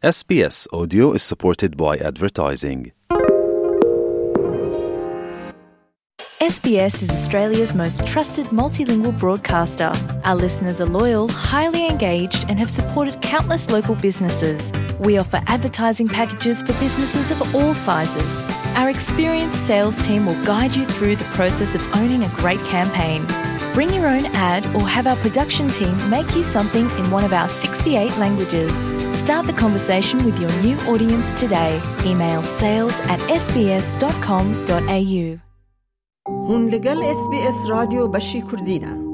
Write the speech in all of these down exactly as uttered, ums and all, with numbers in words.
S B S Audio is supported by advertising. S B S is Australia's most trusted multilingual broadcaster. Our listeners are loyal, highly engaged, and have supported countless local businesses. We offer advertising packages for businesses of all sizes. Our experienced sales team will guide you through the process of owning a great campaign. Bring your own ad or have our production team make you something in one of our sixty-eight languages. Start the conversation with your new audience today. Email sales at S B S dot com dot A U. Hûn li gel S B S Radyo Beşî Kurdî ne.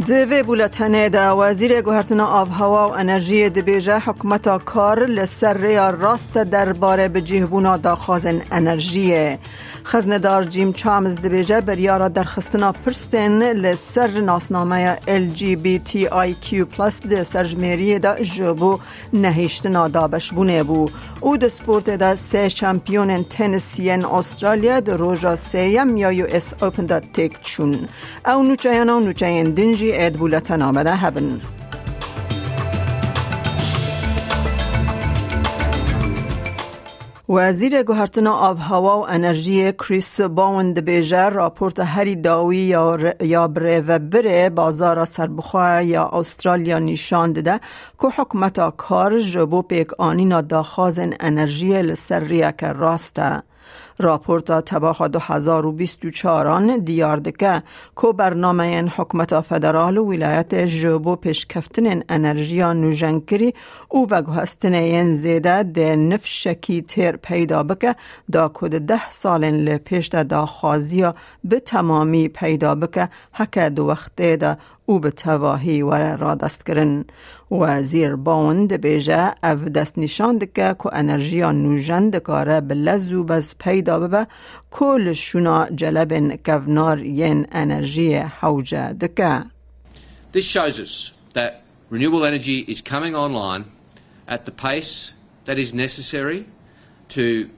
Di vê bûletenê de Wezîrê Guhertina Avhewa û Enerjiyê dibêje, hikûmeta kar li ser rêya rast e derbarê bicihbûna daxwazên enerjiyê. Xeznedar Jim Chalmers dibêje, biryara derxistina pirsên li ser nasnameya L G B T I Q plus di serjimêriyê de ji bo nehiştina dabeşbûnê bû û di sportê de sê şampiyonên tenis yên Australya di roja sêyem ya U S Open de têk çûn. Ew nûçeyana û nûçeyên din jî ê di bûletena me de hebin. Wezîrê Guhertina Avhewa û Enerjiyê Chris Bowen dibêje, raporta herî dawî ya re-, ya birêvebirê bazara serbixwe ya Australya nîşan dide ku hikûmeta kar ji bo pêkanîna daxwazên enerjiyê li ser rêyeke rast e. Raporta tebaxa du hezar û bîst û çaran diyar dike ku bernameyên hikûmeta federal û wîlayetê ji bo pêşkeftinên enerjiya nûjenkirî û veguhestinê yên zêde dê nifşekî têr peyda bike, da ku di deh salên li pêş de daxwaziya bi temamî peyda bike, heke di wextê de û bi tevahî were radestkirin. Wezîr Bowen dibêje, ev destnîşan dike ku enerjiya nûjen dikare bi lez û bez peyda bibe, ku li şûna celebên kevnar yên enerjiyê hewce dike. This shows us that renewable energy is coming online at the pace that is necessary to,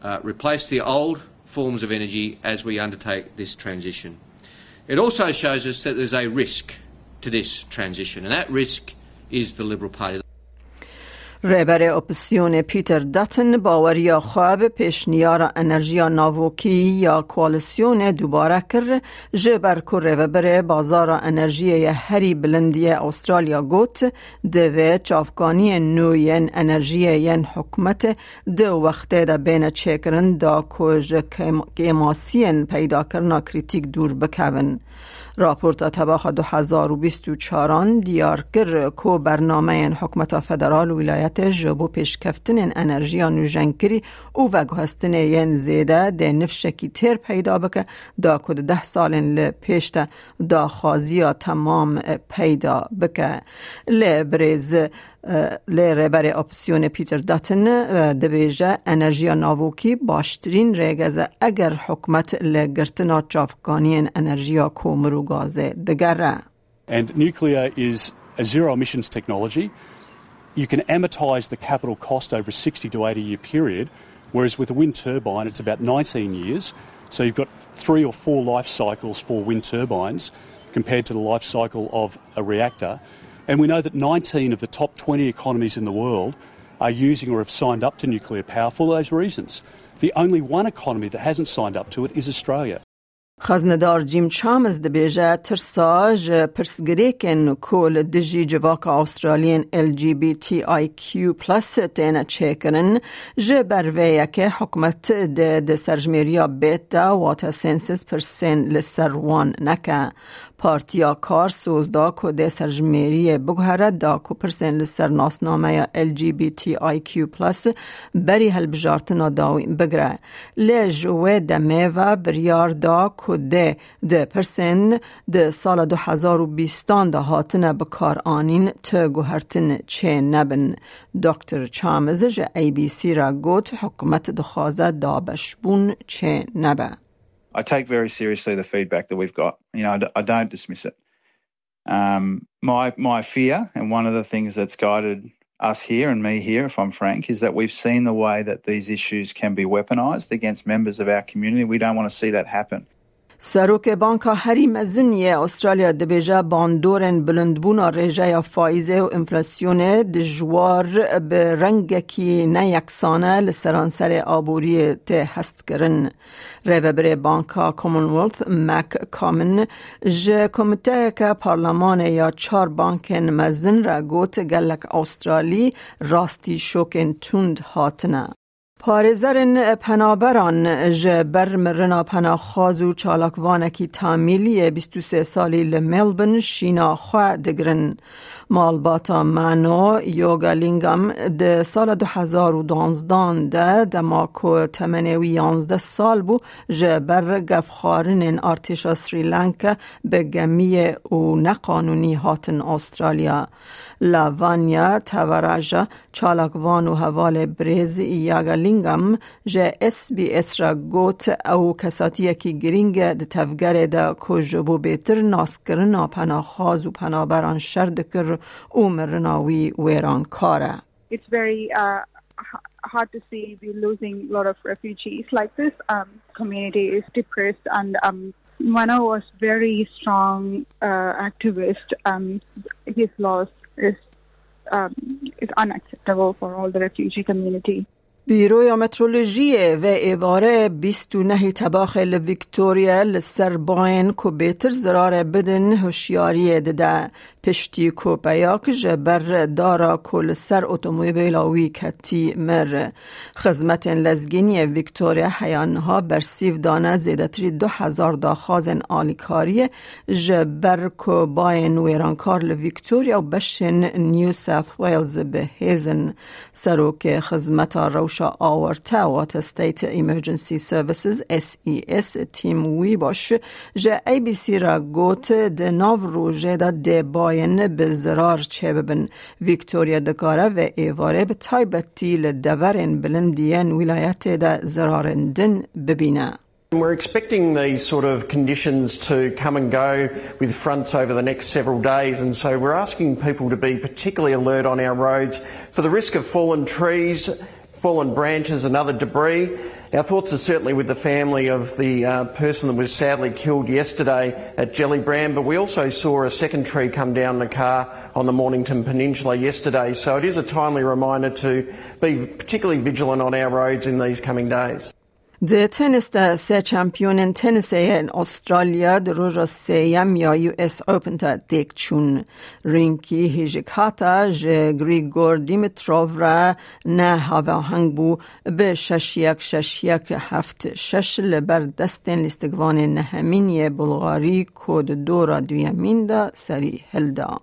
uh, replace the old forms of energy as we undertake this transition. It also shows us that there's a risk to this transition, and that risk is the Liberal Party. Rêberê Opozîsyonê Peter Dutton baweriya xwe bi pêşniyara enerjiya navokî ya koalîsyonê dubare kir, ji ber ku rêvebirê bazara enerjiyê ye herî bilind yê Australya got, divê çavkaniyên nû yên enerjiyê yên hikûmetê di wextê de bêne çêkirin, da ku ji kêm-, kêmasiyên peydakirina krîtîk dûr bikevin. Raporta tebaxa du hezar û bîst û çaran diyar kir ku bernameyên hikûmeta federal û wîlayetê ji bo pêşkeftinên enerjiya nûjenkirî û veguhestinê yên zêde dê nifşekî têr peyda bike, da ku di deh salên li pêş de daxwaziya temam, e, peyda bike. Lê birêz, e, lê rêberê Opozîsyonê Peter Dutton, e, dibêje, enerjiya navokî baştirîn rêgez e eger hikûmet li girtina çavkaniyên enerjiya komir û gazê digere. And nuclear is a zero emissions technology. You can amortise the capital cost over a sixty to eighty year period, whereas with a wind turbine, it's about nineteen years. So you've got three or four life cycles for wind turbines compared to the life cycle of a reactor. And we know that nineteen of the top twenty economies in the world are using or have signed up to nuclear power for those reasons. The only one economy that hasn't signed up to it is Australia. Xeznedar Jim Chalmers dibêje, tirsa ji pirsgirêkên ku li dijî civaka Australiyên L G B T I Q plus têne çêkirin, ji ber vê yekê hikûmet dê di serjimêriya bêt de, wate census, pirsên li ser wan neke. Partiya Kar soz da ku dê serjimêriyê biguhere, da ku pirsên li ser nasnameya L G B T I Q plus berî hilbijartina dawî bigire. Lê ji wê demê ve biryar da ku dê di pirsên di sala du hezar û bîstan de hatine bikaranîn ti guhertin çê nebin. Doktor Chalmers ji A B C re got, hikûmet dixwaze dabeşbûn çê nebe. I take very seriously the feedback that we've got. You know, I d-, I don't dismiss it. Um, my, my fear, and one of the things that's guided us here and me here, if I'm frank, is that we've seen the way that these issues can be weaponised against members of our community. We don't want to see that happen. Serokê Banka herî mezin yê Australya dibêje bandorên bilindbûna rêjeya faîzê û enflasyonê dijwar bi rengekî neyeksane li seranserê aboriyê tê hestkirin. Rêvebirê Banka Commonwealth, Mac Comyn, ji komiteyeke parlemanê ya çar bankên mezin re got, gelek Australî rastî şokên tund hatine. Parêzerên penaberan ji ber mirina penaxwaz û çalakvanekî tamîl yê bîst û sê salî li Melbourne şîna xwe digirin. Malbata Mano Yogalingam di sala du hezar û duanzdan de, dema ku temenê wî yanzdeh sal bû, ji ber gefxwarinên artêşa Sri Lanka bi gemiyê û neqanûnî hatin Australya. Lavanya Tavaraja, çalakvan û hevalê birêz Yogalingam, ji S B S re got, ew kesatiyekî girîng e di tevgerê de ku ji bo bêtir naskirina penaxwaz û penaberan şer dikir û mirina wî wêrankar e. It's very uh, h- hard to see we losing a lot of refugees like this. Um, community is depressed, and um, Mano was very strong uh, activist. Um, his loss is um, is unacceptable for all the refugee community. Bîroya Meteorolojiyê vê êvarê bîst û nehî tebaxê li Victoria li ser bayên ku bêtir zirarê bidin hişyariyê dide. Piştî ku peyak ji ber dara ku li ser otomobîla wî ketî mir. Xizmetên lezgîniyê Victoria heya niha bersîv dane zêdetirî du hezar daxwazên alîkariyê ji ber ku bayên wêrankar li Victoria û beşên New South Wales bi hêz in. Serokê Xizmeta Rewşa Awarte, Water State Emergency Services, S E S, Tim Wîbaş, ji A B C re got, di nav rojê de dê bayên bi zirar çêbibin. Victoria dikare vê êvarê bi taybetî li deverên bilind yên wîlayetê de zirarên din bibîne. We're expecting these sort of conditions to come and go with fronts over the next several days, and so we're asking people to be particularly alert on our roads for the risk of fallen trees, fallen branches, and other debris. Our thoughts are certainly with the family of the uh, person that was sadly killed yesterday at Gellibrand, but we also saw a second tree come down the car on the Mornington Peninsula yesterday. So it is a timely reminder to be particularly vigilant on our roads in these coming days. Di tenîs de sê çempiyonên tenîsê yên Australya di roja sêyem ya U S Open de têk çûn. Rînkî hêjikhata ji Grigor Dimitrov re ne havaheng bû, bi şeş yek, şeş yek, heft şeş li ber destên lîstikvanê nehemîn yê Bulgarî ku di dora duyemîn de serî hilda.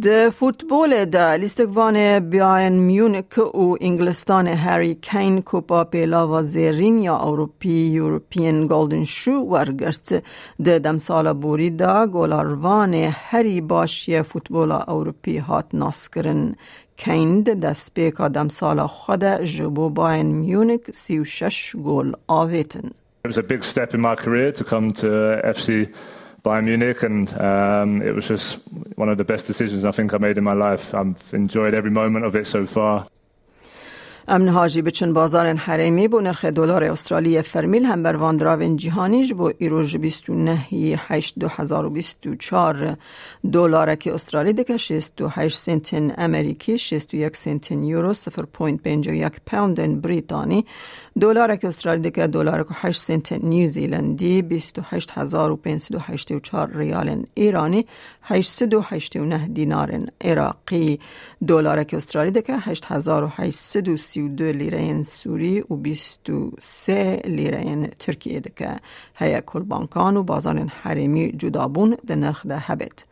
Di futbolê de lîstikvanê Bayern Munich û Îngilistanê Harry Kane Kupa Pêlava Zêrîn ya Ewropî, European Golden Shoe, wergirt. Di demsala borî de golarvanê herî baş yê futbola Ewropî hat naskirin. Kane di destpêka demsala xwe de ji bo Bayern Munich sî û şeş gol avêtin. It was a big step in my career to come to F C Bayern Munich, and um, it was just one of the best decisions I think I made in my life. I've enjoyed every moment of it so far. Em niha jî biçin bazarên herêmî. Bo nirxê dolarê Australî yê fermî li hember van diravên cîhanî, ji bo îro ji bîst û nehî heşt du hezar û bîst û çar dolarekî Australî dike şêst û heşt sentên Amerîkî, şêst û yek sentên Euro, sifir point pêncî û yek poundên Brîtanî, dolarekî Australî dike dolarek û heşt sentên New Zealandî, bîst û heşt hezar û pênc sed û heştê û çar riyalên Îranî, heşt sed û heştê û neh dînarên Iraqî. Dolarekî Australî dike heşt hezar û heşt sed û sî û du lîreyên Sûrî û bîst û sê lîreyên Tirkiyê dike. Heye ku li bankan û bazarên herêmî cudabûn di nirx de hebêt.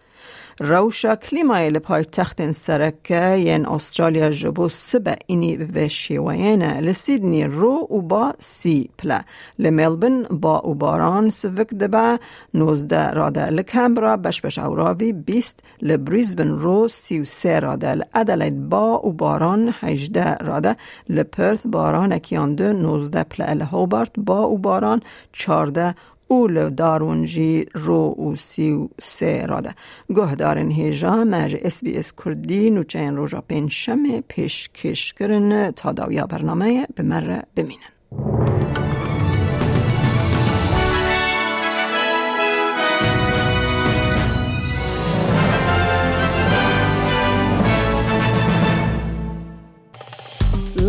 Rewşa klîmayê li paytextên sereke yên Australya ji bo sibe înî bi vê şêweyê ne. Li Sydney ro û ba sî pile. Li Melbourne ba û baran sivik dibe, nozdeh rade. Li Canberra beş beş ewravî bîst, li Brisbane ro sî û sê rade. Li Adelaide ba û baran hejdeh rade. Li Perth baranekî yan du nozdeh pile. Li Hobart ba û baran çardeh û li Darwin jî ro û sî û sê rade. Guhdarên hêja me ji S B S Kurdî nûçeyên roja pêncşemê pêşkêş kirin. Ta dawiya bernameyê bi me re bimînin.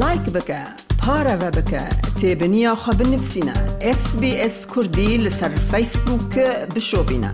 Like bike, pareve bike, têbiniya xwe binivîsîne. S B S Kurdî li ser Facebook bişopîne.